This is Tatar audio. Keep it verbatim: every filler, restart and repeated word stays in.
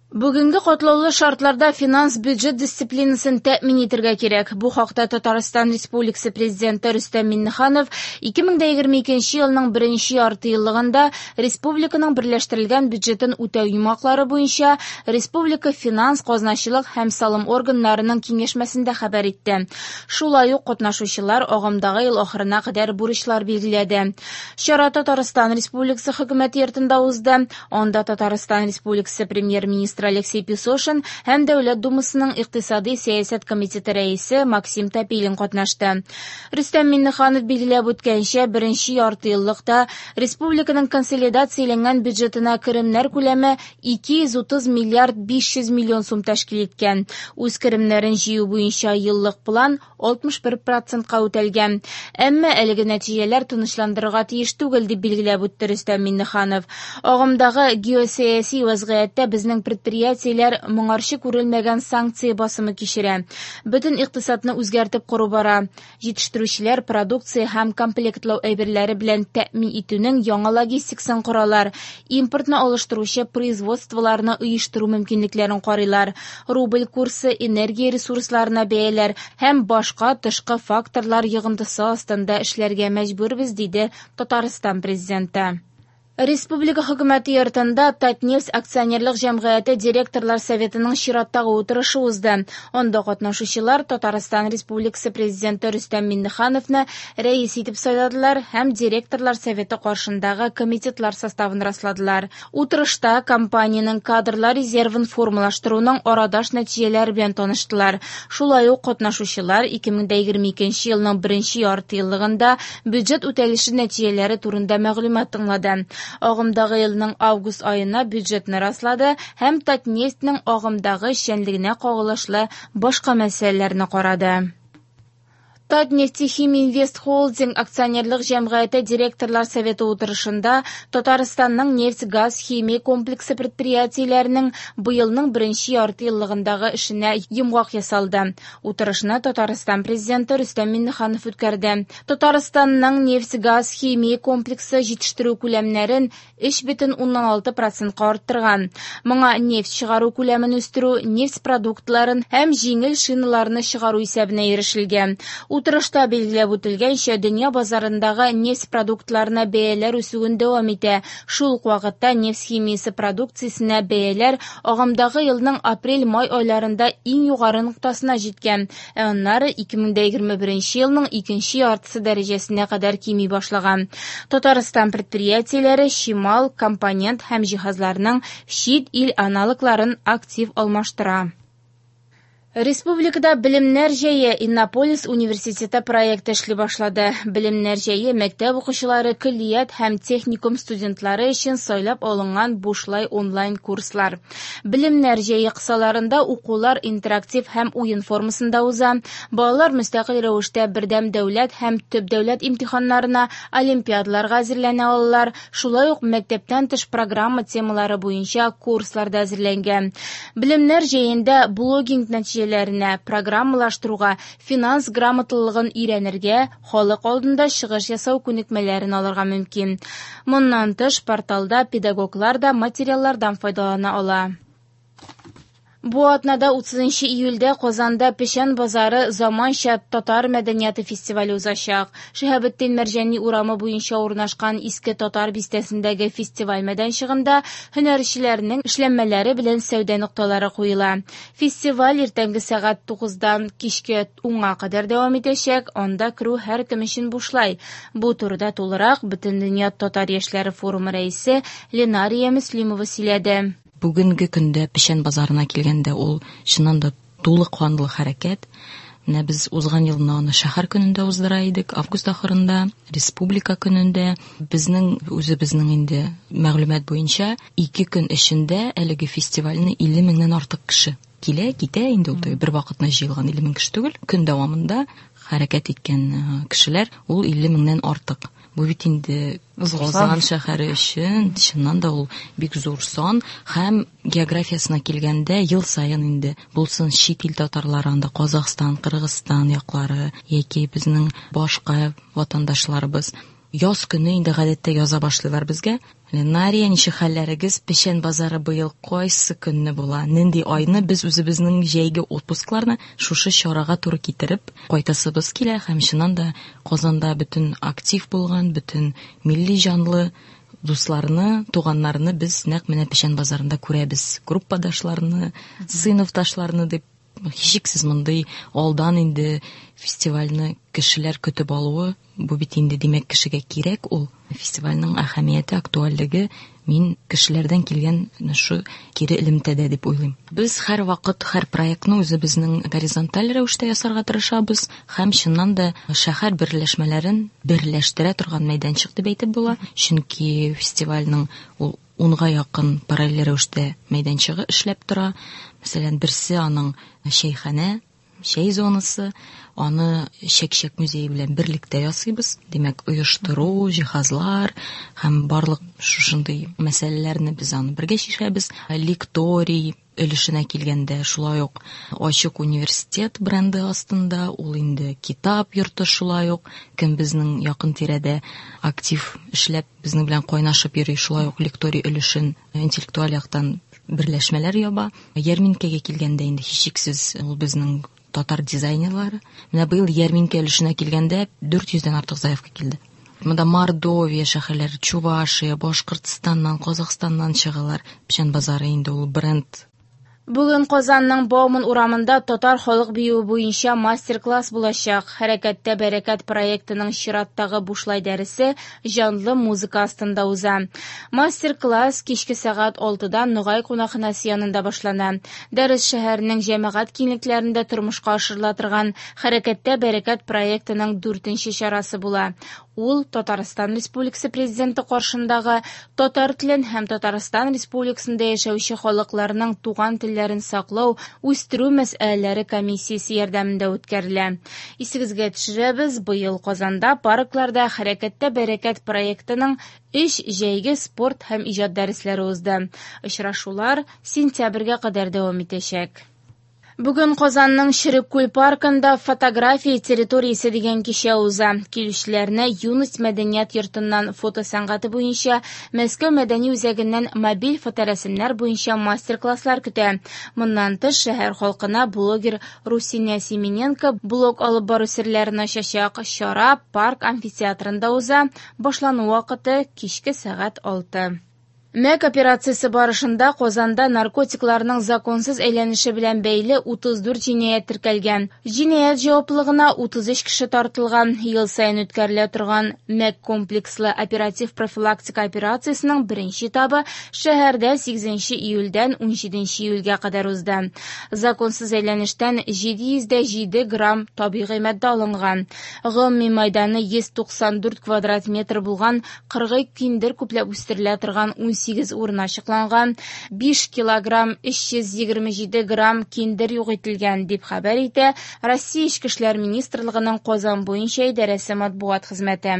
Бүгенге катлаулы шартларда финанс-бюджет дисциплинасын тәэмин итәргә кирәк. Бу хакта Татарстан Республикасы Президенты Рөстәм Миңнеханов ике мең дә егерме икенче елның беренче яртыеллыгында республиканың берләштерелгән бюджетын үтәү йомгаклары буенча республика финанс, казначылык һәм салым органнарының киңәшмәсендә хәбәр итте. Шулай ук катнашучылар агымдагы ел ахырына кадәр бурычлар билгеләде. Чара Татарстан Республикасы хөкүмәте йортында узды. Анда Татарстан Республикасы премьер-министры Алексей Песошин һәм Дәүләт Думасының икътисади сәясәт комитеты рәисе Максим Топилин катнашты. Рөстәм Миңнеханов билгеләп үткәнчә, беренче яртыеллыкта республиканың консолидацияләнгән бюджетына керемнәр күләме ике йөз утыз миллиард биш йөз миллион сум тәшкил иткән. Үз керемнәрен җыю буенча еллык план алтмыш бер процентка үтәлгән. Әмма әлеге нәтиҗәләр тынычландырырга тиеш түгел, дип билгеләп үтте Рөстәм Миңнеханов. Агымдагы геосәяси вазгыятьтә безнең предприятиеләр моңарчы күрелмәгән санкция басымы кичерә. Бөтен икътисадны үзгәртеп кору бара. Җитештерүчеләр продукция һәм комплектлау әйберләре белән тәэмин итүнең яңа логистикасын коралар. Импортны алыштыручы производстволарны оештыру мөмкинлекләрен карыйлар. Рубль курсы, энергия ресурсларына бәяләр һәм башка тышкы факторлар йогынтысы астында эшләргә мәҗбүрбез, диде Татарстан президенты. Республика хөкүмәте йортында Татнефть акционерлык җәмгыяте директорлар советының чираттагы утырышы узды. Анда катнашучылар Татарстан Республикасы президенты Рөстәм Миңнехановны рәис итеп сайладылар һәм директорлар советы каршындагы комитетлар составын расладылар. Утырышта компаниянең кадрлар резервын формалаштыруның арадаш нәтиҗәләре белән таныштылар. Шулай ук катнашучылар ике мең дә егерме икенче елның беренче яртыеллыгында бюджет үтәлеше нәтиҗәләре турында мәгълүмат тыңлады. Агымдагы елның август аена бюджетны раслады һәм Татнефтьнең агымдагы эшчәнлегенә кагылышлы башка мәсьәләләрне карады. Татнефтехим Инвест Холдинг акционерлык җәмгыяте директорлар советы утырышында Татарстанның нефть-газ химия комплексы предприятиеләренең быелның беренче яртыеллыгындагы эшенә йомгак ясалды. Утырышны Татарстан президенты Рөстәм Миңнеханов үткәрде. Татарстанның нефть-газ химия комплексы җитештерү күләмнәрен өч бөтен уннан алты процентка арттырган. Моңа нефть чыгару күләмен үстерү, нефть продуктларын һәм җиңел шиналарны чыгару исәбенә ирешелгән. Утырышта билгеләп үтелгәнчә, дөнья базарындагы нефть продуктларына бәяләр үсүен дәвам итә. Шул ук вакытта нефть химиясе продукциясенә бәяләр агымдагы елның апрель-май айларында иң югары ноктасына җиткән, ә аннары ике мең дә егерме беренче елның икенче яртысы дәрәҗәсенә кадәр кими башлаган. Татарстан предприятиеләре чимал, компонент һәм җиһазларның чит ил аналогларын актив алмаштыра. Республикада Белемнәр җәе Иннополис университеты проекты эшли башлады. Белемнәр җәе мәктәп укучылары, көллият һәм техникум студентлары өчен сайлап алынган бушлай онлайн курслар. Белемнәр җәе кысаларында укулар интерактив һәм уен формасында уза. Балалар мөстәкыйль рәвештә бердәм дәүләт һәм төп дәүләт имтиханнарына, олимпиадаларга әзерләнә алалар. Шулай ук мәктәптән тыш программа темалары буенча курслар да әзерләнгән. Белемнәр җәендә блогинг нәтиҗәләренә, программалаштыруга, финанс грамоталылыгын өйрәнергә, халык алдында чыгыш ясау күнекмәләрен алырга мөмкин. Моннан тыш, порталда педагоглар да материаллардан файдалана ала. Бу атнада утызынчы июльдә Казанда Печән базары заманча татар мәдәнияте фестивале узачак. Шиһабетдин Мәрҗани урамы буенча урнашкан Иске Татар бистәсендәге фестиваль мәйданчыгында һөнәрчеләрнең эшләнмәләре белән сәүдә нокталары куела. Фестиваль иртәнге сәгать тугыздан кичке унга кадәр дәвам итәчәк. Анда керү һәркем өчен бушлай. Бу турыда тулырак Бөтендөнья татар яшьләре форумы рәисе Ленария Мөслимова сөйләде. Бүгенге көндә Печән базарына килгәндә ул чыннан да тулы канлы хәрәкәт. Менә без узган елны аны шәһәр көнендә уздыра идек, август ахырында, республика көнендә. Безнең үзебезнең инде мәгълүмат буенча ике көн эчендә әлеге фестивальне илле меңнән артык кеше килә, китә инде ул бер вакытны җыелган илле мең кеше түгел, көн дәвамында хәрәкәт иткән, э, кешеләр ул илле меңнән артык. Бу бит инде Зур Казан сан. шәһәре өчен чыннан да ул бик зур сан һәм географиясенә килгәндә ел саен инде булсын чит ил татарлары анда Казахстан, Кыргызстан яклары яки безнең башка ватандашларыбыз. Яз көне инде гадәттә яза башлыйлар безгә. Ленария, ничек хәлләрегез? Печән базары быел кайсы көнне була? Нинди айны? Без үзебезнең җәйге отпускларны шушы чарага туры китереп кайтасыбыз килә һәм чыннан да Казанда бөтен актив булган, бөтен милли җанлы дусларны, туганнарны без нәкъ менә Печән базарында күрәбез. Группадашларны, сыйныфташларны дип һичшиксез мондый алдан инде фестивальне кешеләр көтеп алуы, бу бит инде димәк кешегә кирәк ул. Фестивальнең әһәмияте, актуальлеге мин кешеләрдән килгән шу кире элемтәдә дип уйлыйм. Без һәрвакыт һәр проектны үзебезнең горизонталь рәвештә ясарга тырышабыз һәм чыннан да шәһәр берләшмәләрен берләштерә торган мәйданчык дип әйтеп була. Чөнки фестивальнең ул унга якын параллель рәвештә мәйданчыгы эшләп тора. Мәсәлән, берсе аның чәйханә, чәй зонасы, аны Чәк-чәк музее белән берлектә ясыйбыз. Димәк, оештыру, җиһазлар һәм барлык шушындый мәсьәләләрне без аны бергә чишәбез. Лекторий өлешенә килгәндә, шулай ук Ачык университет бренды астында, ул инде китап йорты шулай ук, кем безнең якын тирәдә актив эшләп, безнең белән кайнашып йөри, шулай ук лекторий өлешен интеллектуаль яктан берләшмәләр яба. Ярминкәгә килгәндә инде һичшиксез ул безнең татар дизайнерлары. Менә быел ярминкә өлешенә килгәндә дүрт йөздән артык заявка килде. Монда Мордовия шәһәрләре, Чувашия, Башкортстаннан, Казахстаннан чыгалар. Печән базары инде ул бренд. Бүген Казанның Бауман урамында татар халык биюе буенча мастер-класс булачак. Хәрәкәттә бәрәкәт проектының чираттагы бушлай дәресе җанлы музыка астында уза. Мастер-класс кичке сәгать алтыда Ногай кунакханәсе янында башлана. Дәрес шәһәрнең җәмәгать киңлекләрендә тормышка ашырыла торган Хәрәкәттә бәрәкәт проектының дүртенче чарасы була. Ул Татарстан Республикасы Президенты каршындагы татар телен һәм Татарстан Республикасында яшәүче халыкларның туган телләрен саклау, үстерү мәсьәләләре комиссиясе ярдәмендә үткәрелә. Исегезгә төшерәбез, быел Казанда паркларда Хәрәкәттә бәрәкәт проектының өч җәйге спорт һәм иҗат дәресләре узды. Очрашулар сентябрьгә кадәр дәвам итәчәк. Бүген Казанның Череккүл паркында фотография территориясе дигән кичә уза. Килүчеләрне Юность мәдәният йортыннан фото сәнгате буенча, Мәскәү мәдәни үзәгеннән мобиль фоторәсемнәр буенча мастер-класслар көтә. Моннан тыш шәһәр халкына блогер Русиня Семененко блог алып бару серләрен ачачак. Чара парк амфитеатрында уза. Башлану вакыты кичке сәгать алты. Мәк операциясе барышында Казанда наркотикларның законсыз әйләнеше белән бәйле утыз дүрт җинаять теркәлгән. Җинаять җаваплылыгына утыз өч кеше тартылган. Ел саен үткәрелә торган Мәк комплекслы оператив профилактика операциясенең беренче этабы шәһәрдә сигезенче июльдән унҗиденче июльгә кадәр узды. Законсыз әйләнештән җиде йөз дә җиде грамм табигый матдә алынган. Гомуми майданы йөз туксан дүрт квадрат метр булган кыргый киндер күпләп үстерелә торган ун сигез урын ачыкланган, биш килограмм өч йөз егерме җиде грамм киндер юк ителгән, дип хәбәр итә Россия Эчке эшләр министрлыгының Казан буенча идарәсе матбугат хезмәте.